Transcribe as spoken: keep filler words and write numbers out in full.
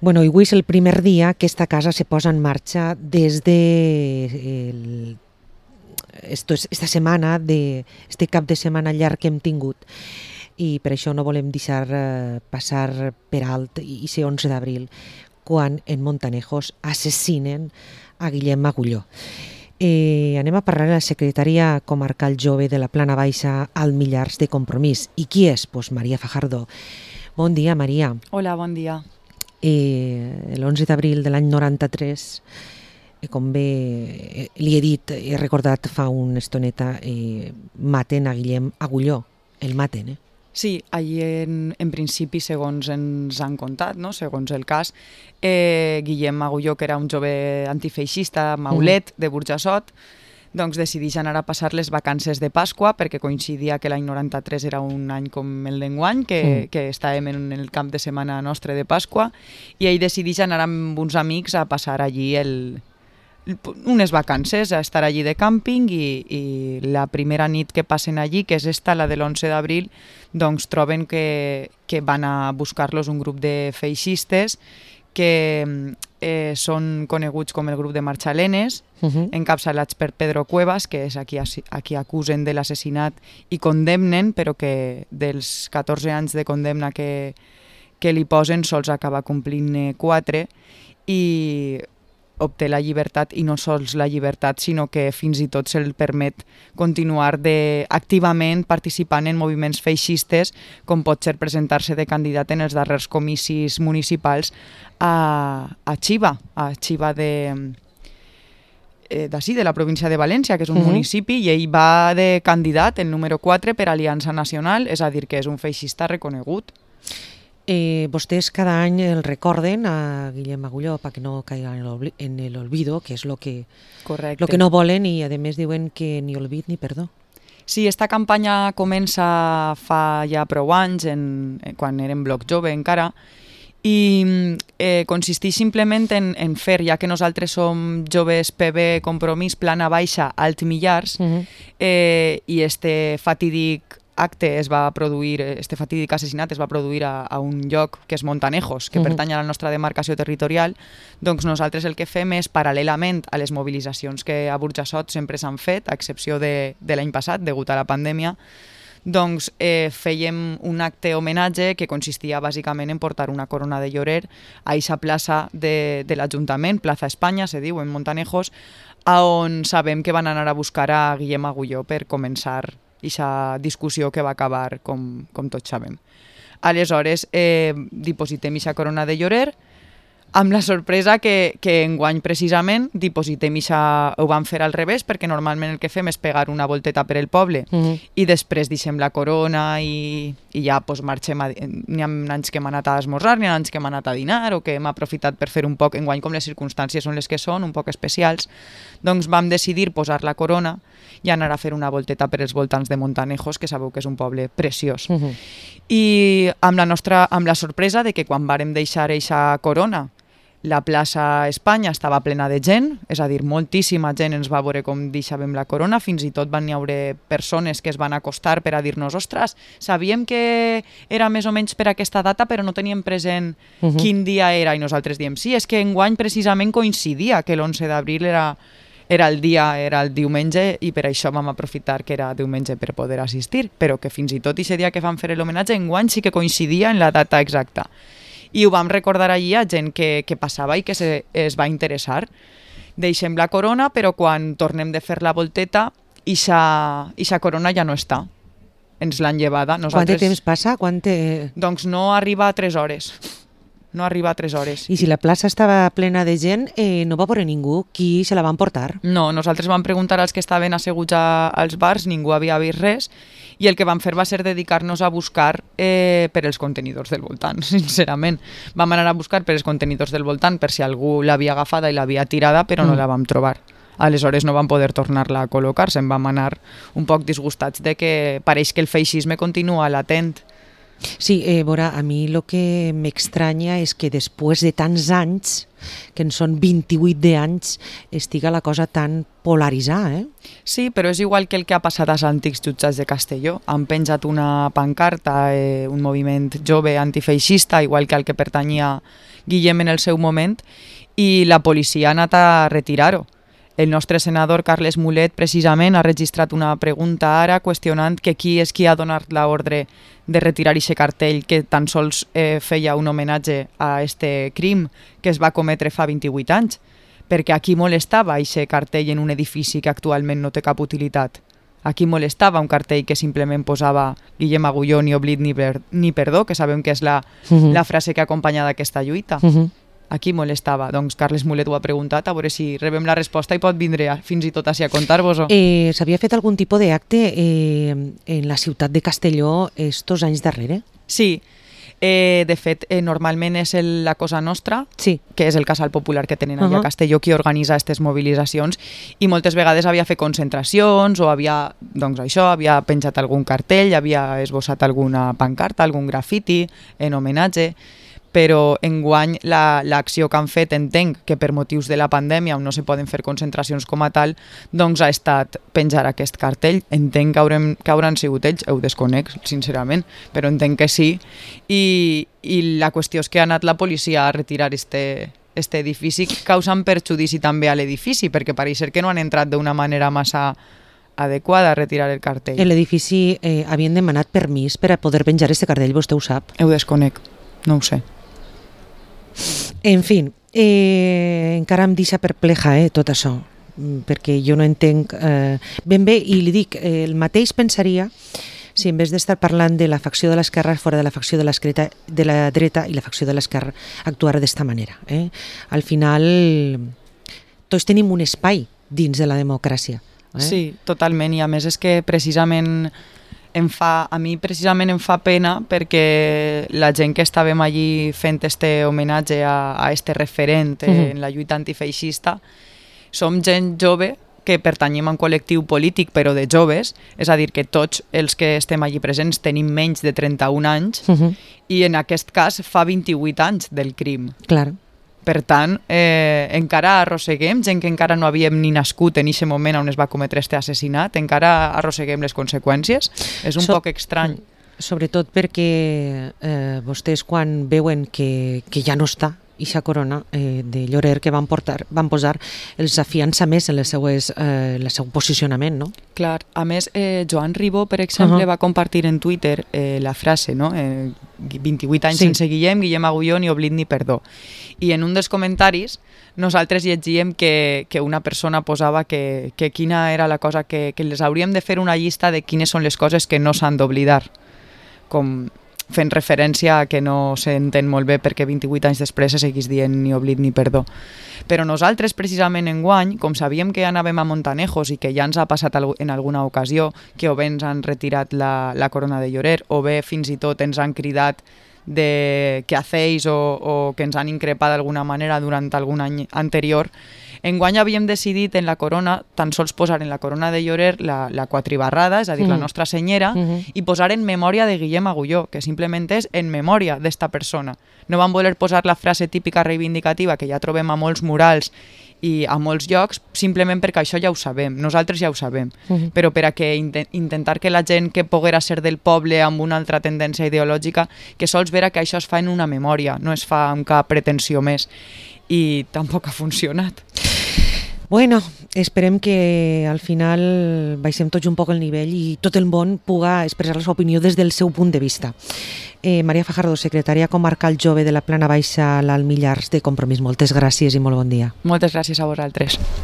Bueno, i avui és el primer dia que esta casa se posa en marxa des de el, esto es, esta setmana, de, este cap de setmana llarg que hem tingut. I per això no volem deixar eh, passar per alt i ser onze d'abril, quan en Montanejos assassinen a Guillem Agulló. Eh, anem a parlar a la secretària comarcal jove de la Plana Baixa al Millars de Compromís. I qui és? Pues Maria Fajardo. Bon dia, Maria. Hola, bon dia. Eh, l'onze d'abril de l'any noranta-tres, eh, com bé eh, li he dit, he recordat fa una estoneta, eh, maten a Guillem Agulló. El maten, eh? Sí, allí en, en principi, segons ens han contat, no? Segons el cas, eh, Guillem Agulló, que era un jove antifeixista, maulet, mm. de Burjassot, doncs decideix anar a passar les vacances de Pasqua, perquè coincidia que l'any noranta-tres era un any com el d'enguany, que, mm. que estàvem en el camp de setmana nostre de Pasqua, i ell decideix anar amb uns amics a passar allí el... unes vacances, a estar allí de càmping, i, i la primera nit que passen allí, que és esta, la de l'onze d'abril, doncs troben que, que van a buscar-los un grup de feixistes que eh, són coneguts com el grup de Marxalenes, uh-huh. encapçalats per Pedro Cuevas, que és a qui, a qui acusen de l'assassinat i condemnen, però que dels catorze anys de condemna que, que li posen sols acaba complint quatre, i obté la llibertat, i no sols la llibertat, sinó que fins i tot se'l permet continuar de, activament participant en moviments feixistes, com pot ser presentar-se de candidat en els darrers comicis municipals a, a Xiva, a Xiva de, eh, d'ací, de la província de València, que és un uh-huh. municipi, i ell va de candidat, el número quatre, per Aliança Nacional, és a dir, que és un feixista reconegut. Eh, vostès cada any el recorden a Guillem Agulló perquè no caiga en l'olvido, que és el que, lo que no volen, i a més diuen que ni olvid ni perdó. Sí, esta campanya comença fa ja prou anys, en, quan érem bloc jove encara, i eh, consisteix simplement en, en fer, ja que nosaltres som joves P B Compromís Plana Baixa Alt Millars, uh-huh. eh, i este fatídic acte es va produir, este fatídic assassinat es va produir a, a un lloc que és Montanejos, que uh-huh. pertany a la nostra demarcació territorial, doncs nosaltres el que fem és, paral·lelament a les mobilitzacions que a Burjassot sempre s'han fet, a excepció de, de l'any passat, degut a la pandèmia, doncs eh, fèiem un acte homenatge que consistia bàsicament en portar una corona de llorer a eixa plaça de, de l'Ajuntament, Plaza Espanya, se diu, en Montanejos, on sabem que van anar a buscar a Guillem Agulló per començar aquesta discussió que va acabar, com, com tots sabem. Aleshores, eh, dipositem aquesta corona de llorer, amb la sorpresa que, que enguany precisament dipositem ixa, ho vam fer al revés, perquè normalment el que fem és pegar una volteta per el poble, uh-huh. i després deixem la corona i, i ja pues, marxem. A, n'hi ha anys que hem anat a esmorzar, n'hi ha anys que hem anat a dinar, o que hem aprofitat per fer un poc, enguany com les circumstàncies són les que són, un poc especials, doncs vam decidir posar la corona i anar a fer una volteta per els voltants de Montanejos, que sabeu que és un poble preciós. Uh-huh. I amb la, nostra, amb la sorpresa de que quan vàrem deixar eixa corona, la plaça Espanya estava plena de gent, és a dir, moltíssima gent ens va veure com deixàvem la corona, fins i tot van haver persones que es van acostar per a dir-nos, ostres, sabíem que era més o menys per aquesta data, però no teníem present uh-huh. quin dia era, i nosaltres diem, sí, és que enguany precisament coincidia que l'onze d'abril era... era el dia, era el diumenge, i per això vam aprofitar que era diumenge per poder assistir, però que fins i tot aquest dia que vam fer l'homenatge enguany sí que coincidia en la data exacta. I ho vam recordar allí a gent que, que passava i que se, es va interessar. Deixem la corona, però quan tornem de fer la volteta, ixa corona ja no està. Ens l'han llevada. Nosaltres... Quant de temps passa? Quant te... Doncs no arriba a tres hores. No arriba a tres hores. I si la plaça estava plena de gent, eh, no va veure ningú. Qui se la van portar? No, nosaltres vam preguntar als que estaven asseguts a, als bars, ningú havia vist res, i el que vam fer va ser dedicar-nos a buscar eh, per els contenidors del voltant, sincerament. Vam anar a buscar per els contenidors del voltant per si algú l'havia agafada i l'havia tirada, però mm. no la vam trobar. Aleshores no vam poder tornar-la a col·locar, se'n vam anar un poc disgustats de que pareix que el feixisme continua latent Sí, eh, veure, a mi el que m'estranya és que després de tants anys, que en són vint-i-vuit d'anys, estiga la cosa tan polaritzada, eh? Sí, però és igual que el que ha passat als antics jutjats de Castelló. Han penjat una pancarta, eh, un moviment jove antifeixista, igual que al que pertanyia Guillem en el seu moment, i la policia ha anat a retirar-ho. El nostre senador Carles Mulet precisament ha registrat una pregunta ara qüestionant que qui és qui ha donat l'ordre de retirar aquest cartell que tan sols eh, feia un homenatge a este crim que es va cometre fa vint-i-vuit anys, perquè a qui molestava aquest cartell en un edifici que actualment no té cap utilitat. A qui molestava un cartell que simplement posava Guillem Agulló, ni oblit ni, per, ni perdó, que sabem que és la, uh-huh. la frase que ha acompanyat aquesta lluita. Uh-huh. A qui molestava? Doncs Carles Mulet ho ha preguntat, a veure si rebem la resposta i pot vindre a, fins i tot així a contar-vos-ho. Eh, S'havia fet algun tipus d'acte eh, en la ciutat de Castelló estos anys darrere? Sí, eh, de fet, eh, normalment és el, la Cosa Nostra, sí. que és el casal popular que tenen allà uh-huh. a Castelló, qui organitza aquestes mobilitzacions, i moltes vegades havia fet concentracions o havia, doncs això, havia penjat algun cartell, havia esbossat alguna pancarta, algun grafiti en homenatge, però enguany l'acció que han fet, entenc que per motius de la pandèmia on no se poden fer concentracions com a tal, doncs ha estat penjar aquest cartell. Entenc que, haurem, que hauran sigut ells, ho desconec, sincerament, però entenc que sí. I, i la qüestió és que ha anat la policia a retirar este, este edifici, causant perjudici també a l'edifici, perquè pareix ser que no han entrat d'una manera massa adequada a retirar el cartell. En l'edifici eh, havien demanat permís per a poder penjar este cartell, vostè ho sap? Ho desconec, no ho sé. En fi, eh, encara em deixa perpleja eh, tot això, perquè jo no entenc eh, ben bé, i li dic, eh, el mateix pensaria si en vez d'estar parlant de la facció de l'esquerra fora de la facció de l'esquerra, de la dreta i la facció de l'esquerra actuara d'esta manera. Eh? Al final, tots tenim un espai dins de la democràcia. Eh? Sí, totalment, i a més és que precisament em fa, a mi precisament em fa pena perquè la gent que estàvem allí fent este homenatge a, a este referent uh-huh. en la lluita antifeixista som gent jove que pertanyem a un col·lectiu polític però de joves, és a dir que tots els que estem allí presents tenim menys de trenta-un anys uh-huh. i en aquest cas fa vint-i-vuit anys del crim. Clar. Per tant, eh, encara arrosseguem, gent que encara no havíem ni nascut en aquest moment on es va cometre este assassinat, encara arrosseguem les conseqüències. És un so, poc estrany. Sobretot perquè eh, vostès quan veuen que, que ja no està ixa corona eh, de Llorer que van, portar, van posar els afiança més en les seues, eh, el seu posicionament, no? Clar, a més, eh, Joan Ribó, per exemple, uh-huh. va compartir en Twitter eh, la frase, no? Eh, vint-i-vuit anys sí. sense Guillem, Guillem Agulló, ni oblit ni perdó. I en un dels comentaris nosaltres llegíem que, que una persona posava que, que quina era la cosa, que, que les hauríem de fer una llista de quines són les coses que no s'han d'oblidar, com fent referència a que no s'entén molt bé perquè vint-i-vuit anys després se seguís dient ni oblit ni perdó. Però nosaltres, precisament enguany, com sabíem que anàvem a Montanejos i que ja ens ha passat en alguna ocasió que o bé ens han retirat la, la corona de Llorer o bé fins i tot ens han cridat de què hacéis o, o que ens han increpat d'alguna manera durant algun any anterior, enguany havíem decidit en la corona tan sols posar en la corona de Llorer la, la quatribarrada, és a dir, mm. la nostra senyera, mm-hmm. i posar en memòria de Guillem Agulló, que simplement és en memòria d'esta persona. No vam voler posar la frase típica reivindicativa que ja trobem a molts murals i a molts llocs, simplement perquè això ja ho sabem, nosaltres ja ho sabem, uh-huh. però per a que int- intentar que la gent que poguera ser del poble amb una altra tendència ideològica, que sols vera que això es fa en una memòria, no es fa amb cap pretensió més, i tampoc ha funcionat. Bueno, esperem que al final baixem tots un poc el nivell i tot el món puga expressar la seva opinió des del seu punt de vista. Eh, Maria Fajardo, secretària comarcal jove de la Plana Baixa, l'Alt Millars de Compromís. Moltes gràcies i molt bon dia. Moltes gràcies a vosaltres.